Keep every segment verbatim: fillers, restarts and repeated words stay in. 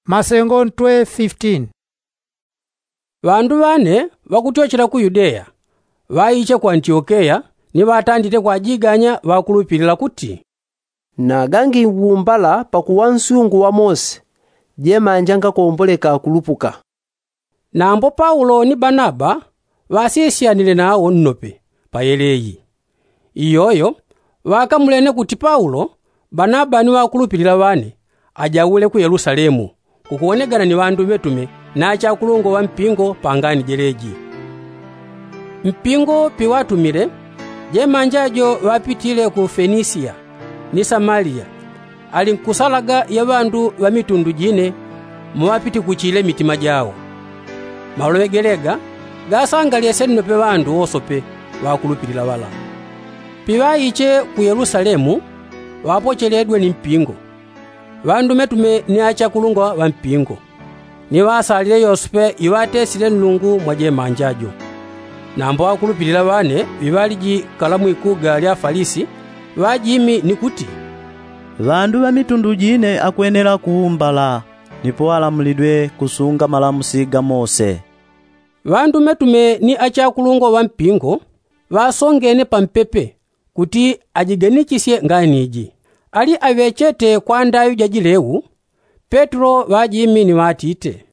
Masengo ntwe fifteen. Ŵandu ŵane ŵakutyochela ku yudeya ŵaiche ku antiokeya, ni ŵatandite kwajiganya ŵakulupilila kuti, nagangi wumbala pakuwa nsungu wa mose, jemanja ngakomboleka kulupuka. Nambo paulo ni banaba ŵasisyanile nawo nnope pa yeleyi. Iyoyo ŵakamulene kuti paulo, banaba ni ŵakulupilila ŵane, ajaule ku yelusalemu kukuwonegana ni ŵandu ŵetume na achakulungwa ŵa mpingo pa ngani jeleji. Mpingo piŵatumile, jemanja jo ŵapitile ku fenisia ni samaliya, ali nkusalaga ya ŵandu ŵa mitundu jine, muŵapitikuchile mitima jawo. Maloŵe gelega gasangalesye nnope ŵandu wosope ŵakulupilila ŵala. Piŵaiche ku yelusalemu, ŵapocheledwe ni mpingo, ŵandu metume ni achakulungwa ŵa mpingo, ni ŵasalile yosope iŵatesile nlungu mwa jemanja jo. Nambo ŵakulupilila ŵane ŵiŵaliji kala mwikuga lya falisi, ŵajimi ni kuti, ŵandu ŵa mitundu jine akwenela kuumbala, nipo alamulidwe kusunga malamusi ga mose. Ŵandu metume ni achakulungwa ŵa mpingo ŵasongene pampepe kuti ajiganichisye ngani iji. Ali aŵechete kwa ndaŵi ja jileu, petelo ŵajimi ni ŵatite,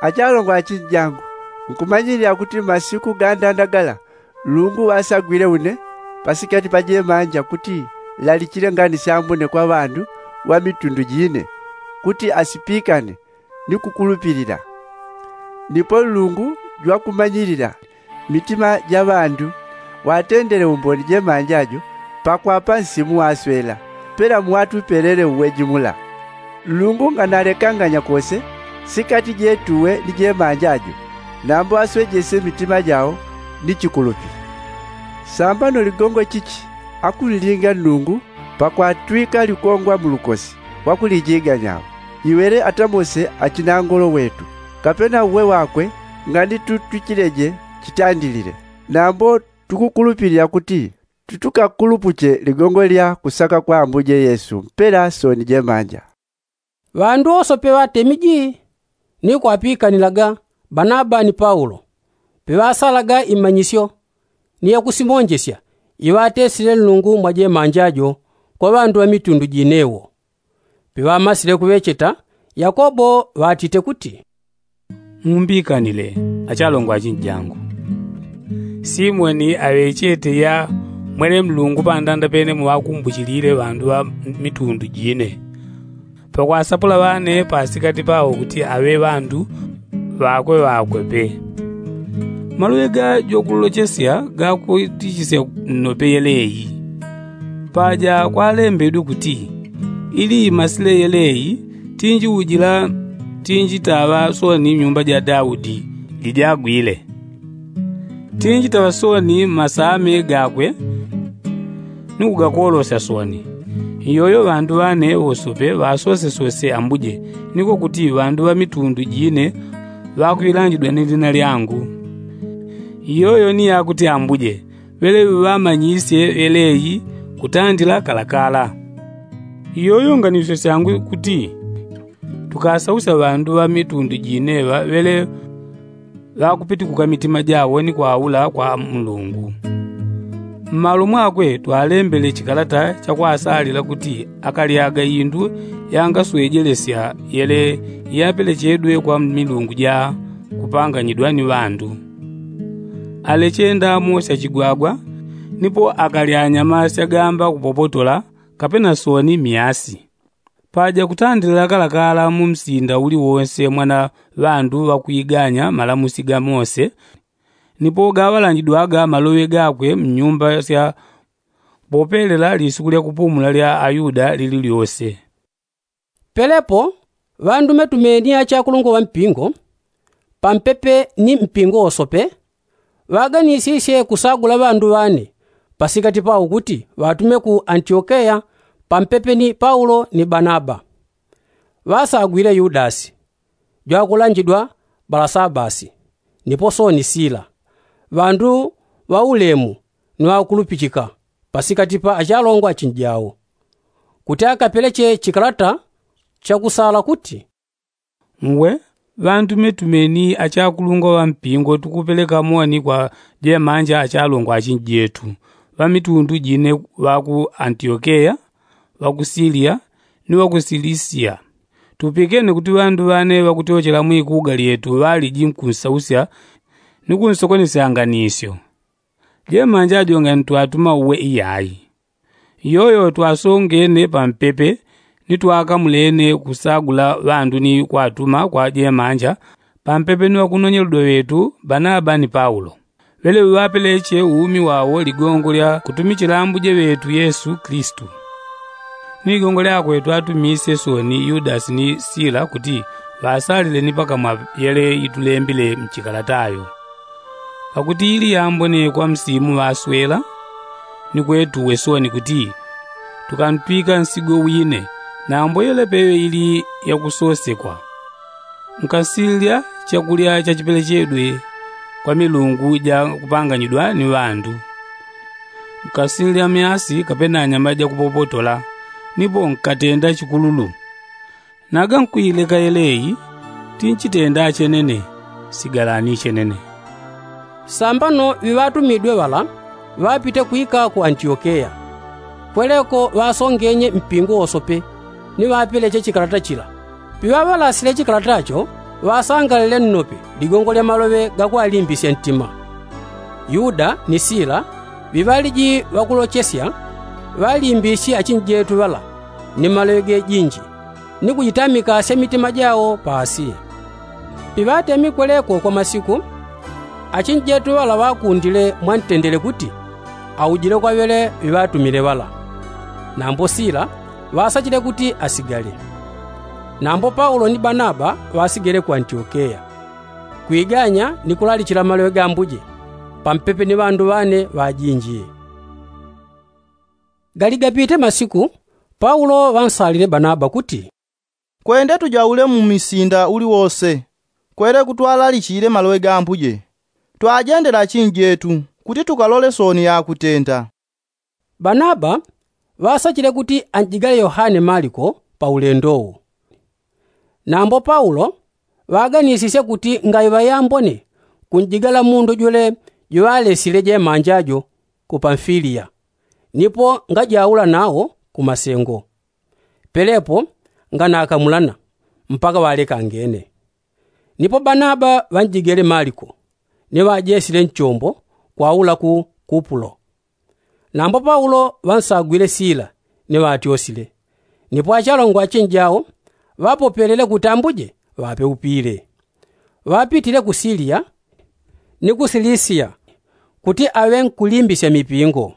achalongwa achinjangu, nkumanyilila kuti mmasiku gandanda gala, nlungu ŵasagwile une pasikati pa jemanja kuti lalichile ngani syambone kwa ŵandu ŵa mitundu jine, kuti asipikane ni kukulupilila. Nipo nlungu jwakumanyilila mitima ja ŵandu, ŵatendele umboni jemanja jo pakwapa nsimu waswela, pela muŵatupelele uweji mula. Nlungu nganalekanganya kose sikati jetuwe ni jemanja jo, nambo aswejesye mitima jao ni chikulupi. Sambano ligongo chichi akunlinga nlungu pakwatwika likongwa mulukosi wakulijiganya, iŵele ata mose achinangolo wetu, kapena uwe wakwe, ngani tutwichileje chitandilile. Nambo tukukulupilila kuti tutukakulupuche ligongo lya kusaka kwa ambuje yesu mpela sooni jemanja. Ŵandu wosope ŵatemiji ni kwapikanilaga banaba ni paulo, piŵasalaga imanyisyo ni yakusimonjesya iŵatesile nlungu mwa jemanja jo kwa ŵandu ŵa mitundu jine wo. Piŵamasile kuŵecheta, yakobo ŵatite kuti, mumbikanile achalongwa achinjangu. Simoni aŵechete ya mwele mlungu pandanda pene muŵakumbuchilile ŵandu ŵa mitundu jine, pakwasapula ŵane pasikati pawo kuti aŵe ŵandu ŵakwe ŵakwe pe. Maloŵe ga jokulochesya gakutichisya nnope yeleyi. Paja kwalembedwe kuti, ili imasile yeleyi, tinji ujila, tinji taŵa sooni nyumba ja daudi lijagwile. Tinji taŵa sooni mmasame gakwe ni kugakolosya sooni. Iyoyo ŵandu ŵane wosope ŵasosesose ambuje, niko kuti ŵandu ŵa mitundu jine ŵakwilanjidwa ni lina lyangu. Iyoyo ni yakuti ambuje ŵele ŵamanyisye ŵeleyi kutandila kalakala. Iyoyo nganisyo syangu kuti tukasausya ŵandu ŵa mitundu jine ŵa ŵele ŵakupitikuka mitima jawo ni kwaula kwa mulungu. Mmalo mwakwe twalembele chikalata chakwasalila kuti akalyaga indu yangaswejelesya yele yapelechedwe kwa milungu ja kupanganyidwa ni ŵandu. Aleche ndamo syachigwagwa, nipo akalya nyama syagamba kupopotola, kapena sooni miasi. Paja kutandilila kalakala mu msinda uliwonse mwana ŵandu ŵakwiganya malamusi ga mose, nipo gaŵalanjidwaga maloŵe gakwe mnyumba sya popelela lisuku lya kupumula lya ayuda lili lyose. Pelepo ŵandumetume ni achakulungwa ŵa mpingo, pampepe ni mpingo wosope, ŵaganisisye kusagula ŵandu ŵane pasikati pawo kuti ŵatume ku antiokeya pampepe ni paulo ni banaba. Ŵasagwile yudasi, jwakulanjidwa balasabasi, nipo sooni sila, ŵandu ŵaulemu ni ŵakulupichika pasikati pa achalongwa achinjawo, kuti akapeleche chikalata chakusala kuti, Ngwe ŵantumetume ni achakulungwa ŵa mpingo tukupeleka moni kwa jemanja achalongwa achinjetu ŵa mitundu jine ŵa ku antiokeya, ŵa ku siliya, ni ŵa ku silisiya. Tupikene kuti ŵandu ŵane ŵakutyochela mwikuga lyetu ŵaliji nkunsausya ni kunsokonesya nganisyo. Jemanja ajonga ntwatuma uwe iyayi. Iyoyo twasongene pampepe ni twakamulene kusagula ŵandu ni kwatuma kwa jemanja pampepe ni ŵakunonyeledwa ŵetu banaba ni paulo. Ŵeleŵe ŵapeleche umi wawo ligongo lya kutumichila ambuje ŵetu yesu kilisitu. Ni ligongo lyakwe twatumisye soni yudasi ni sila kuti ŵasalile ni pakamwa yele itulembile mchikalatayo. Pakuti ili yambone kwa msimu ŵaswela ni kwetuwe soni kuti tukantwika nsigo wine nambo yelepeyo ili yakusosekwa. Nkasilya chakulya chachipelechedwe kwa milungu ja kupanganyidwa ni ŵandu. Nkasilya myasi kapena nyama jakupopotola nipo nkatenda chikululu. Naga nkwileka yeleyi tinchitenda chenene. Sigalani chenene. Sambano ŵiŵatumidwe ŵala ŵapite kwika ku antiokeya. Kweleko ŵasongenye mpingo wosope ni ŵapeleche chikalata chila. Piŵaŵalasile chikalata cho ŵasangalile nnope ligongo lya maloŵe gakwalimbisya ntima. Yuda ni sila ŵiŵaliji ŵakulochesya ŵalimbisye achinjetu ŵala ni maloŵe gejinji ni kujitamikasya mitima jawo pa asiya. Piŵatemi kweleko kwa masiku achinjetu ŵala ŵakundile mwantendele kuti aujile kwa ŵele ŵiŵatumile ŵala. Nambo sila ŵasachile kuti asigale. Nambo paulo ni banaba ŵasigele ku antiokeya kwiganya ni kulalichila maloŵe ga ambuje pampepe ni ŵandu ŵane ŵajinji. Galigapite masiku paulo ŵansalile banaba kuti, kwende tujaule mu misinda uliwose kweleko twalalichile maloŵe ga ambuje. Twajendele achinjetu kuti tukalole soni yakutenda. Banaba ŵasachile kuti anjigale yohane maliko pa ulendo uwu. Nambo paulo ŵaganisisye kuti ngaiŵa yambone kunjigala mundu jule juŵalesile jemanja jo ku pamfiliya nipo ngajaula nawo ku masengo. Pelepo nganakamulana mpaka ŵalekangene. Nipo banaba ŵanjigele maliko ni ŵajesile nchombo kwaula ku kupulo. Nambo paulo ŵansagwile sila ni ŵatyosile. Nipo achalongwa achinjao ŵapopelele kuti ambuje ŵapeupile. Ŵapitile ku siliya ni ku silisiya kuti aŵe nkulimbisya mipingo.